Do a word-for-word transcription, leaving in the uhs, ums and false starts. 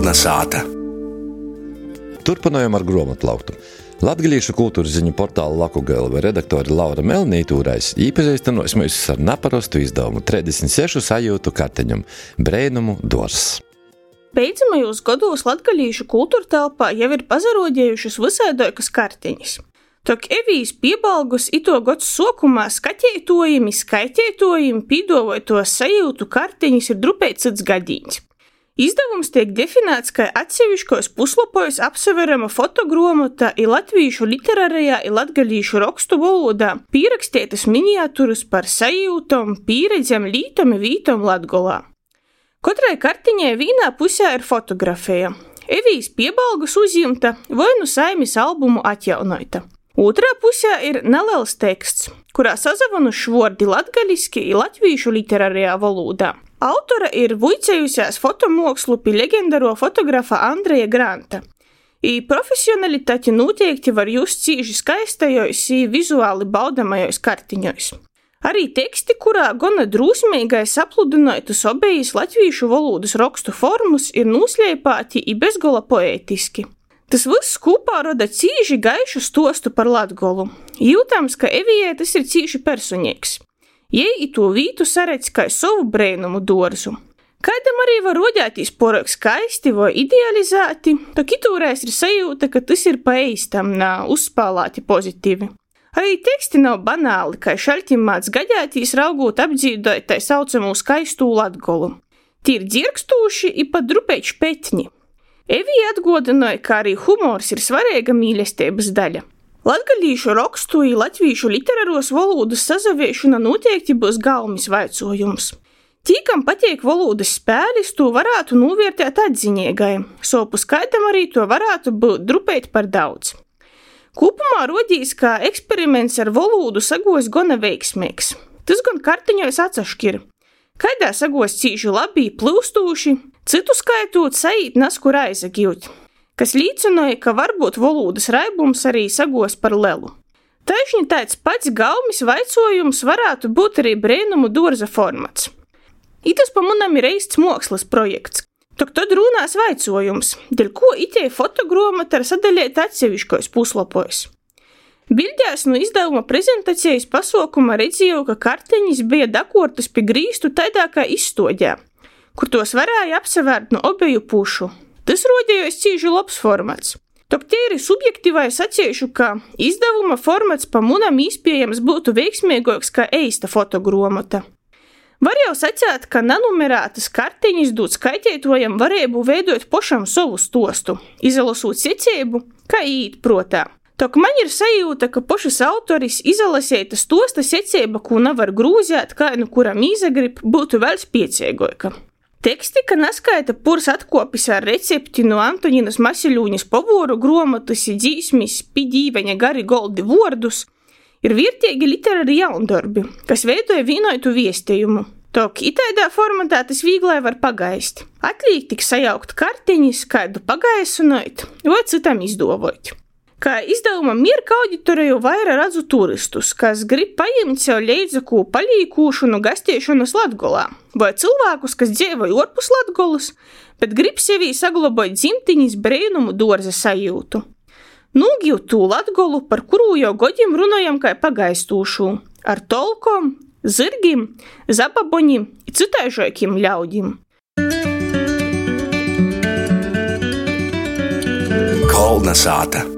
Kalna sāta. Turpinājām ar grāmatlauktu. Latgalīšu kultūras ziņu portāla Lakugalva redaktore Laura Melnītūrais īpazīstinos mūs ar naparastu izdevumu trīsdesmit sešu sajūtu karteņum Breinumu dors. Beidzamajos gados latgalīšu kultūra telpā jau ir pazarodējušas visaidoikas karteņas. Tok evijas piebalgus ito gods sokumā skateitojumi, skaiteitojumi pīdovoj to sajūtu karteņas ir drupēt cits gadīņs. Izdevums tiek definēts, ka atseviškos puslapojos apseverama fotogrāmata i latvīšu literārajā i latgalīšu rakstu valodā pīrakstētas miniatūras par sajūtom, pīredzem, lītom i vītom Latgolā. Katrai kartiņai vienā pusē ir fotografija. Evijas piebalgus uzjimta vai nu saimis albumu atjaunoita. Otrā pusē ir neliels teksts, kurā sazavanuši vārdi latgaliski i latvīšu literārajā valodā. Autora ir vuicējusies fotomokslu pi legendaro fotografa Andreja Granta. I profesionalitāti noteikti var just cīži skaistajos i vizuāli baudamajos kartiņos. Arī teksti, kurā gana drūsmīgai sapludinoitus obejas latvīšu valodas rakstu formus, ir nūsleipāti i bezgola poētiski. Tas viss kopā roda cīži gaišu stostu par Latgolu. Jūtams, ka Evijai tas ir cīži personīgs. Jei i to vītu saredz kai savu Breinumu dorzu. Kaidam arī var rodētīs porok skaisti vai idealizēti, tak itūreiz ir sajūta, ka tas ir pa eistam, nā uzspālāti pozitīvi. Arī teksti nav banāli, kai šaļtim māc gadētīs raugot apdzīdot tai saucamū skaistū Latgolu. Tī ir dzirkstūši i pat drupēt špetņi. Evija atgodinoja, ka arī humors ir svarīga mīlestības daļa. Latgalīšu rakstu i latvīšu literāros valodas sazaviešana noteikti būs galmis vaicojums. Tī, kam pateik valodas spēlis, to varētu novērtēt atziņiegai, sopu skaidam arī to varētu būt drupēt par daudz. Kopumā rodīs, ka eksperiments ar valodu sagos gana veiksmīgs. Tas gan kartiņos atsaškir. Kaidā sagos cīži labi plūstūši, citu skaitot saīt naskur aizagūt, kas līdzinoja, ka varbūt valodas raibums arī sagos par lelu. Taišņi tāds pats gaumis vaicojums varētu būt arī Breinumu dorza formats. Itas pa munam ir eists mokslas projekts. Tok tad runās vaicojums, dēļ ko itei fotogrāmata ir sadaļēta atseviškos puslapos. Bildēs no izdevuma prezentācijas pasaukuma redzēju, ka karteņas bija dakortas pie grīstu taidā kā izstoģē, kur tos varēja apsevērt no obeju pušu. Tas rodējos cīži labs formats. Tok te ir subjektīvai saciešu, ka izdevuma formats pa munam īspējams būtu veiksmīgāks kā eista fotogrāmata. Var jau sacēt, ka nenumerētas karteņas dūt skaiteitojam varēbu veidot pošam savu stostu, izalasūt secību, kā īt protā. Tok man ir sajūta, ka pošas autoris izalasēta stosta secība, ko nevar grūzēt, kā nu kuram īzagrib, būtu vēl spiecīgāka. Teksti, ka naskaita purs atkopis ar recepti no Antoninas Masiļūņas pavoru gromatas i dzīsmis pi dīveņa gari goldi vordus, ir vērtīgi literāri jaundarbi, kas veidoja vienotu viestējumu. Tok itaidā formatā tas vīglai var pagaist. Atlīk tik sajaukt karteņas, kādu pagaisunot, vai citam izdovot. Kā izdevuma mierka auditoriju vaira redzu turistus, kas grib pajimt sev leidzaku palīkūšanu gastiešanu Latgolā, vai cilvēkus, kas dzīvoja orpus Latgolas, bet grib sevī saglabāt dzimtiņas Breinumu dorza sajūtu. Nūgiv tū Latgolu, par kuru jau godim runājam kā pagaistūšu, ar tolkom, zirgim, zababoņim i citaižokim ļaudim. Kalna sāta.